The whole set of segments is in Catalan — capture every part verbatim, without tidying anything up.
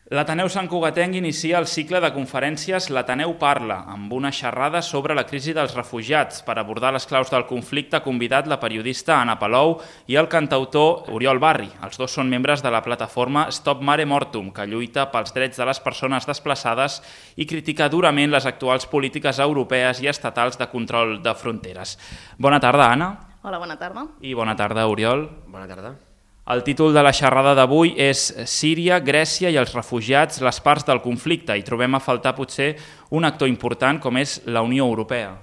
L'Ateneu Sant Cugatenc inicia el cicle de conferències L'Ateneu parla, amb una xerrada sobre la crisi dels refugiats. Per abordar les claus del conflicte ha convidat la periodista Anna Palou i el cantautor Oriol Barri. Els dos són membres de la plataforma Stop Mare Mortum, que lluita pels drets de les persones desplaçades i critica durament les actuals polítiques europees i estatals de control de fronteres. Bona tarda, Anna. Hola, bona tarda. I bona tarda, Oriol. Bona tarda. El títol de la xerrada d'avui és Síria, Grècia i els refugiats, les parts del conflicte, i trobem a faltar potser un actor important com és la Unió Europea.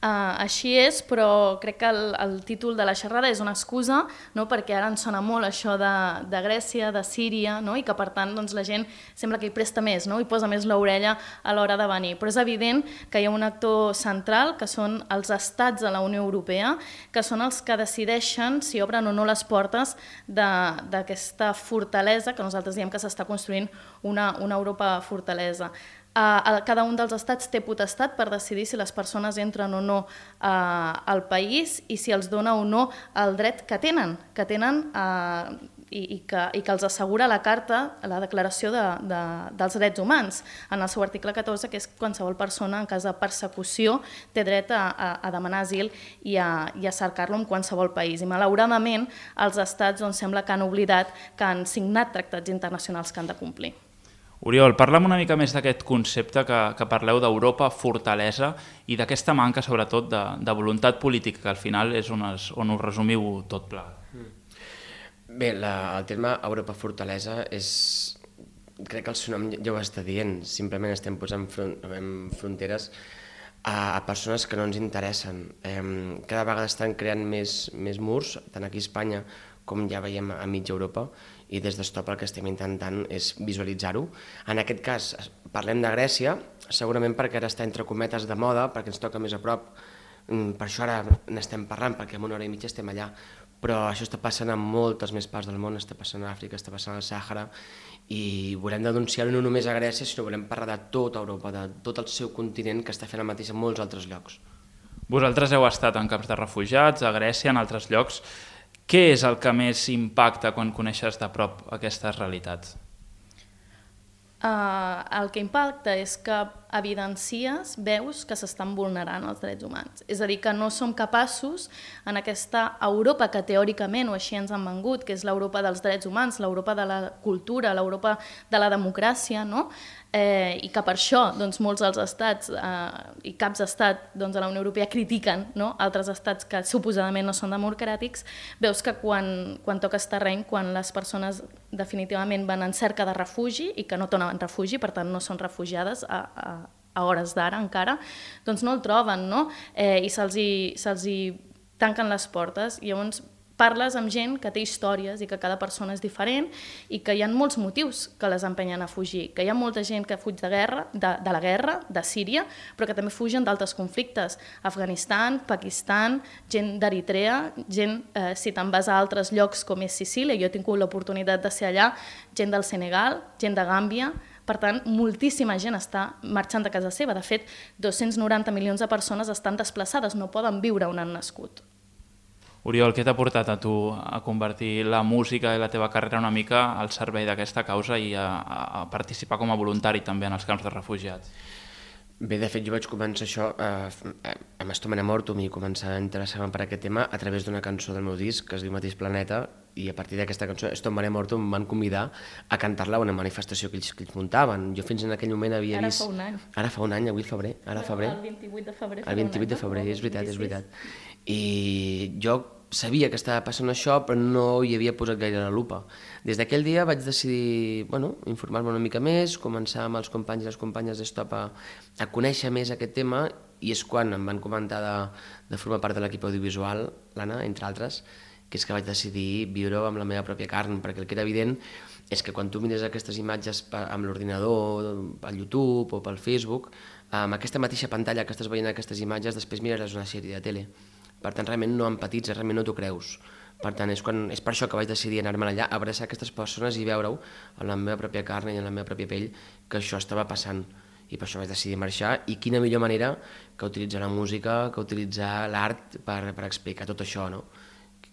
Uh, així és, però crec que el, el títol de la xerrada és una excusa, no? Perquè ara ens sona molt això de, de Grècia, de Síria, no? I que per tant doncs, la gent sembla que hi presta més, no? I posa més l'orella a l'hora de venir. Però és evident que hi ha un actor central, que són els estats de la Unió Europea, que són els que decideixen si obren o no les portes d'aquesta fortalesa, que nosaltres diem que s'està construint una, una Europa fortalesa. Uh, cada un dels estats té potestat per decidir si les persones entren o no uh, al país i si els dona o no el dret que tenen, que tenen uh, i, i, que, i que els assegura la Carta, la Declaració de, de, dels Drets Humans, en el seu article catorze, que és qualsevol persona en cas de persecució té dret a, a, a demanar asil i a, i a cercar-lo en qualsevol país. I malauradament els estats doncs, sembla que han oblidat que han signat tractats internacionals que han de complir. Oriol, parla'm una mica més d'aquest concepte que, que parleu d'Europa fortalesa i d'aquesta manca, sobretot, de, de voluntat política, que al final és on, es, on us resumiu tot pla. Bé, la, el terme Europa fortalesa és... Crec que el seu nom ja ho està dient. Simplement estem posant front, fronteres a, a persones que no ens interessen. Eh, cada vegada estan creant més, més murs, tant aquí a Espanya com ja veiem a mitja Europa, i des d'Stop el que estem intentant és visualitzar-ho. En aquest cas parlem de Grècia, segurament perquè ara està entre cometes de moda, perquè ens toca més a prop, per això ara n'estem parlant, perquè en una hora i mitja estem allà, però això està passant en moltes més parts del món, està passant a Àfrica, està passant al Sàhara, i volem denunciar-ho no només a Grècia, sinó volem parlar de tota Europa, de tot el seu continent, que està fent el mateix en molts altres llocs. Vosaltres heu estat en camps de refugiats, a Grècia, en altres llocs. Què és el que més impacta quan coneixes de prop aquestes realitats? Uh, el que impacta és que evidencies, veus que s'estan vulnerant els drets humans. És a dir, que no som capaços en aquesta Europa que teòricament, o així ens han vengut, que és l'Europa dels drets humans, l'Europa de la cultura, l'Europa de la democràcia, no? Eh, i que per això doncs, molts dels estats eh, i caps d'estat doncs, a la Unió Europea critiquen, no? Altres estats que suposadament no són democràtics, veus que quan, quan toques terreny, quan les persones definitivament van en cerca de refugi i que no tornen refugi, per tant no són refugiades a, a, a hores d'ara encara, doncs no el troben, no? Eh, i se'ls hi, se'ls hi tanquen les portes. I llavors parles amb gent que té històries i que cada persona és diferent i que hi ha molts motius que les empenyen a fugir, que hi ha molta gent que fuig de, guerra, de, de la guerra, de Síria, però que també fugen d'altres conflictes, Afganistan, Pakistan, gent d'Eritrea, gent, eh, si te'n vas a altres llocs com és Sicília, jo he tingut l'oportunitat de ser allà, gent del Senegal, gent de Gàmbia. Per tant, moltíssima gent està marxant de casa seva. De fet, dos-cents noranta milions de persones estan desplaçades, no poden viure on han nascut. Oriol, què t'ha portat a tu a convertir la música i la teva carrera una mica al servei d'aquesta causa i a, a participar com a voluntari també en els camps de refugiats? Bé, de fet, jo vaig començar això eh, amb Stop Mare Mortum i començar a interessar-me per aquest tema a través d'una cançó del meu disc que es diu Mateix Planeta, i a partir d'aquesta cançó Stop Mare Mortum em van convidar a cantar-la a una manifestació que ells, que ells muntaven. Jo fins en aquell moment havia ara vist... Ara fa un any. Ara fa un any, avui febrer. Ara febrer. El vint-i-vuit de febrer. El vint-i-vuit de febrer, és veritat, és veritat. I jo sabia que estava passant això, però no hi havia posat gaire la lupa. Des d'aquell dia vaig decidir bueno, informar-me una mica més, començar amb els companys i les companyes d'Stop a, a conèixer més aquest tema, i és quan em van comentar de, de formar part de l'equip audiovisual, l'Anna, entre altres, que és que vaig decidir viure amb la meva pròpia carn, perquè el que era evident és que quan tu mires aquestes imatges amb l'ordinador, pel YouTube o pel Facebook, amb aquesta mateixa pantalla que estàs veient aquestes imatges, després mires una sèrie de tele. Per tant, realment no empatitzes, realment no t'ho creus. Per tant, és, quan, és per això que vaig decidir anar-me'n allà, abraçar aquestes persones i veure-ho en la meva pròpia carn i en la meva pròpia pell que això estava passant. I per això vaig decidir marxar, i quina millor manera que utilitzar la música, que utilitzar l'art per, per explicar tot això, no?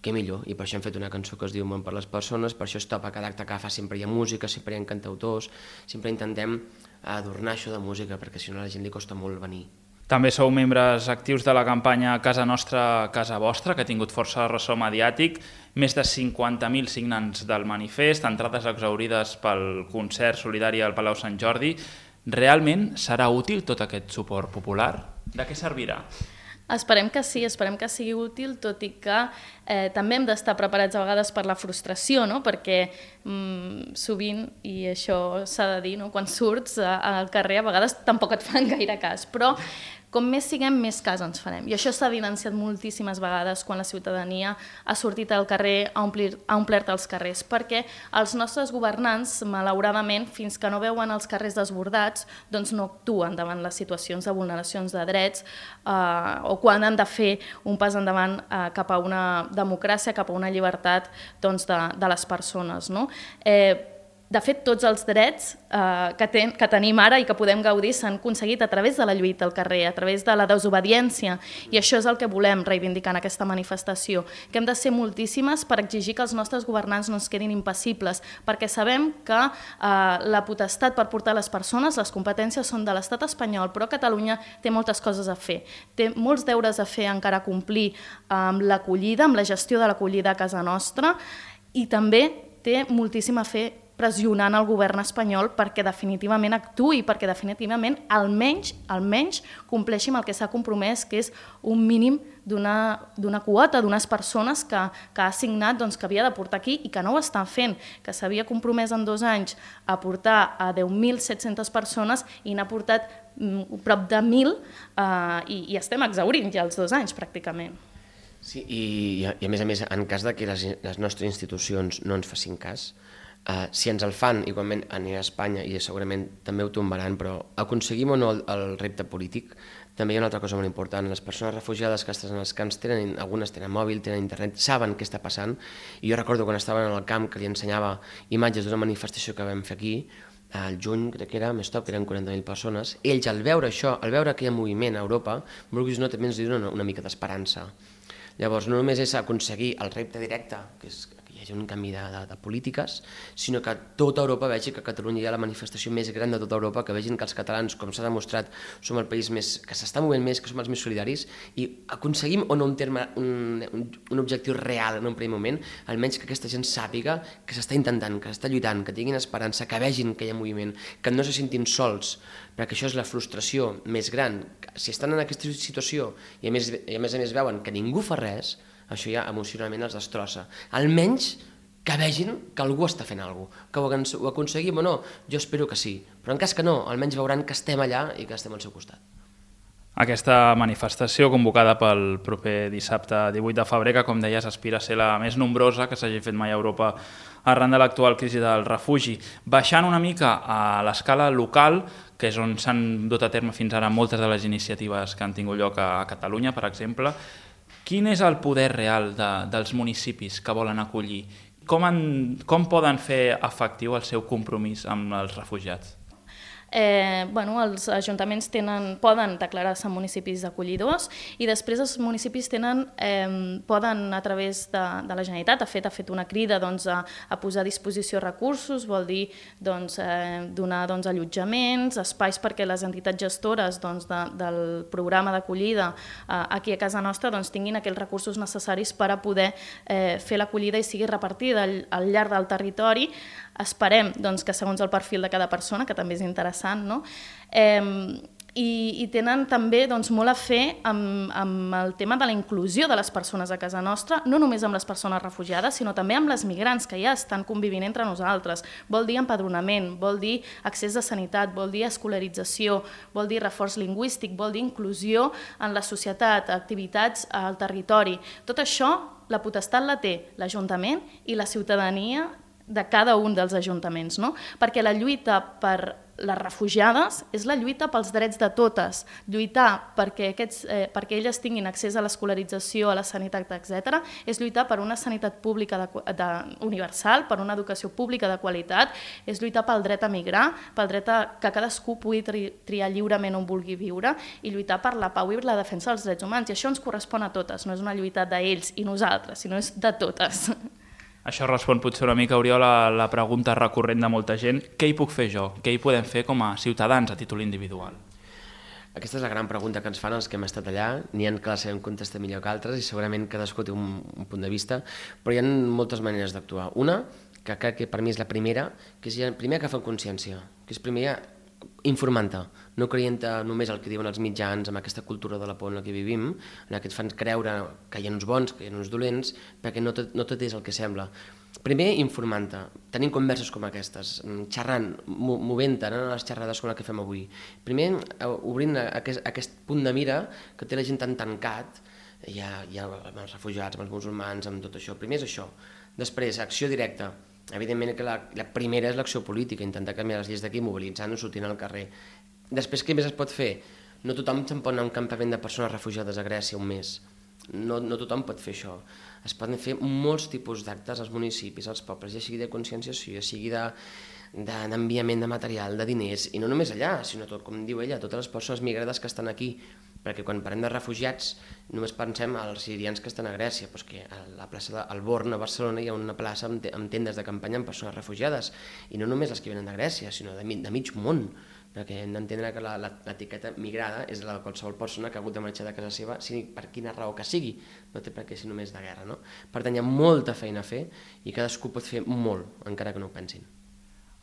què millor, i per això hem fet una cançó que es diu Món per les persones, per això Stop, a cada acte que fa sempre hi ha música, sempre hi ha cantautors, sempre intentem adornar això de música, perquè si no a la gent li costa molt venir. També sou membres actius de la campanya Casa Nostra, Casa Vostra, que ha tingut força ressò mediàtic, més de cinquanta mil signants del manifest, entrades exaurides pel concert solidari al Palau Sant Jordi. Realment serà útil tot aquest suport popular? De què servirà? Esperem que sí, esperem que sigui útil, tot i que eh, també hem d'estar preparats a vegades per la frustració, no? Perquè mm, sovint, i això s'ha de dir, no? Quan surts al carrer a vegades tampoc et fan gaire cas, però com més siguem, més cas ens farem. I això s'ha evidenciat moltíssimes vegades quan la ciutadania ha sortit al carrer, ha, omplir, ha omplert els carrers, perquè els nostres governants, malauradament, fins que no veuen els carrers desbordats, doncs no actuen davant les situacions de vulneracions de drets eh, o quan han de fer un pas endavant eh, cap a una democràcia, cap a una llibertat doncs, de, de les persones. No? Eh, De fet, tots els drets eh, que, ten, que tenim ara i que podem gaudir s'han aconseguit a través de la lluita al carrer, a través de la desobediència, i això és el que volem reivindicar en aquesta manifestació, que hem de ser moltíssimes per exigir que els nostres governants no ens quedin impassibles, perquè sabem que eh, la potestat per portar les persones, les competències són de l'estat espanyol, però Catalunya té moltes coses a fer, té molts deures a fer encara a complir amb l'acollida, amb la gestió de l'acollida a casa nostra, i també té moltíssim a fer pressionant el govern espanyol perquè definitivament actuï, perquè definitivament almenys, almenys compleixi amb el que s'ha compromès, que és un mínim d'una quota, d'unes persones que, que ha assignat doncs, que havia de portar aquí i que no ho estan fent, que s'havia compromès en dos anys a portar a deu mil set-centes persones i n'ha portat mm, prop de mil eh, i, i estem exhaurint ja els dos anys pràcticament. Sí, i, i a més a més, en cas de que les, les nostres institucions no ens facin cas, Uh, si ens el fan, igualment anirà a Espanya i segurament també ho tombaran, però aconseguim o no el, el repte polític, també hi ha una altra cosa molt important. Les persones refugiades que estan als camps, tenen, algunes tenen mòbil, tenen internet, saben què està passant, i jo recordo quan estaven al camp que li ensenyava imatges d'una manifestació que vam fer aquí, al juny, crec que era, més top, que eren quaranta mil persones, ells al veure això, al veure que hi ha moviment a Europa, vulguis o no, també ens diuen una, una mica d'esperança. Llavors, no només és aconseguir el repte directe, que és que hi hagi un canvi de, de, de polítiques, sinó que tota Europa vegi que a Catalunya hi ha la manifestació més gran de tota Europa, que vegin que els catalans, com s'ha demostrat, som el país més, que s'està movent més, que som els més solidaris, i aconseguim o no un, terme, un, un, un objectiu real en un primer moment, almenys que aquesta gent sàpiga que s'està intentant, que s'està lluitant, que tinguin esperança, que vegin que hi ha moviment, que no se sentin sols, perquè això és la frustració més gran. Si estan en aquesta situació i a més, i a més, a més veuen que ningú fa res, això ja emocionalment els destrossa. Almenys que vegin que algú està fent alguna cosa, que ho, ho aconseguim o no, jo espero que sí, però en cas que no, almenys veuran que estem allà i que estem al seu costat. Aquesta manifestació convocada pel proper dissabte divuit de febrer, que com deies aspira a ser la més nombrosa que s'hagi fet mai a Europa arran de l'actual crisi del refugi. Baixant una mica a l'escala local, que és on s'han dut a terme fins ara moltes de les iniciatives que han tingut lloc a Catalunya, per exemple, quin és el poder real de, dels municipis que volen acollir? Com, en, com poden fer efectiu el seu compromís amb els refugiats? Eh, bueno, els ajuntaments tenen, poden declarar-se municipis acollidors i després els municipis tenen, eh, poden a través de, de la Generalitat, ha fet, ha fet una crida doncs, a, a posar a disposició recursos, vol dir doncs, eh, donar doncs, allotjaments, espais perquè les entitats gestores doncs, de, del programa d'acollida eh, aquí a casa nostra doncs, tinguin aquells recursos necessaris per a poder eh, fer l'acollida i sigui repartida al, al llarg del territori. Esperem doncs, que segons el perfil de cada persona, que també és interessant, no? eh, i, i tenen també doncs, molt a fer amb, amb el tema de la inclusió de les persones a casa nostra, no només amb les persones refugiades, sinó també amb les migrants que ja estan convivint entre nosaltres. Vol dir empadronament, vol dir accés a sanitat, vol dir escolarització, vol dir reforç lingüístic, vol dir inclusió en la societat, activitats al territori. Tot això, la potestat la té l'Ajuntament i la ciutadania de cada un dels ajuntaments, no? Perquè la lluita per les refugiades és la lluita pels drets de totes, lluitar perquè, aquests, eh, perquè elles tinguin accés a l'escolarització, a la sanitat, etcètera, és lluitar per una sanitat pública de, de, universal, per una educació pública de qualitat, és lluitar pel dret a migrar, pel dret a que cadascú pugui tri, triar lliurement on vulgui viure i lluitar per la pau i la defensa dels drets humans. I això ens correspon a totes, no és una lluita d'ells i nosaltres, sinó és de totes. Això respon potser una mica, Oriol, a la pregunta recurrent de molta gent. Què hi puc fer jo? Què hi podem fer com a ciutadans a títol individual? Aquesta és la gran pregunta que ens fan els que hem estat allà. N'hi ha que la sabem contestar millor que altres i segurament cadascú té un, un punt de vista, però hi ha moltes maneres d'actuar. Una, que crec que per mi és la primera, que és ja, primer agafar consciència, que és primer informant-te, no creient només el que diuen els mitjans, amb aquesta cultura de la por en la que vivim, en què et fan creure que hi ha uns bons, que hi ha uns dolents, perquè no tot, no tot és el que sembla. Primer, informant-te, tenint converses com aquestes, xerrant, movent-te, anant a les xerrades com la que fem avui. Primer, obrint aquest, aquest punt de mira que té la gent tan tancat, ja, ja amb els refugiats, amb els musulmans, amb tot això. Primer és això. Després, acció directa. Evidentment que la, la primera és l'acció política, intentar canviar les lleis d'aquí, mobilitzant-nos, sortint al carrer. Després, què més es pot fer? No tothom se'n pot anar a un campament de persones refugiades a Grècia un mes. No, no tothom pot fer això. Es poden fer molts tipus d'actes als municipis, als pobles, ja sigui de conscienciació, ja sigui de, de, d'enviament de material, de diners, i no només allà, sinó tot, com diu ella, totes les persones migrades que estan aquí, perquè quan parlem de refugiats només pensem als sirians que estan a Grècia, doncs que a la plaça del Born a Barcelona hi ha una plaça amb, amb tendes de campanya amb persones refugiades, i no només les que venen de Grècia, sinó de, de mig món, perquè hem d'entendre que la, la, l'etiqueta migrada és la de qualsevol persona que ha hagut de marxar de casa seva, sigui per quina raó que sigui, no té per què ser només de guerra, no? Per tant, hi ha molta feina a fer i cadascú pot fer molt, encara que no ho pensin.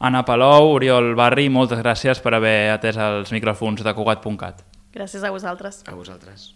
Anna Palou, Oriol Barri, moltes gràcies per haver atès els micròfons de Cugat punt cat. Gràcies a vosaltres. A vosaltres.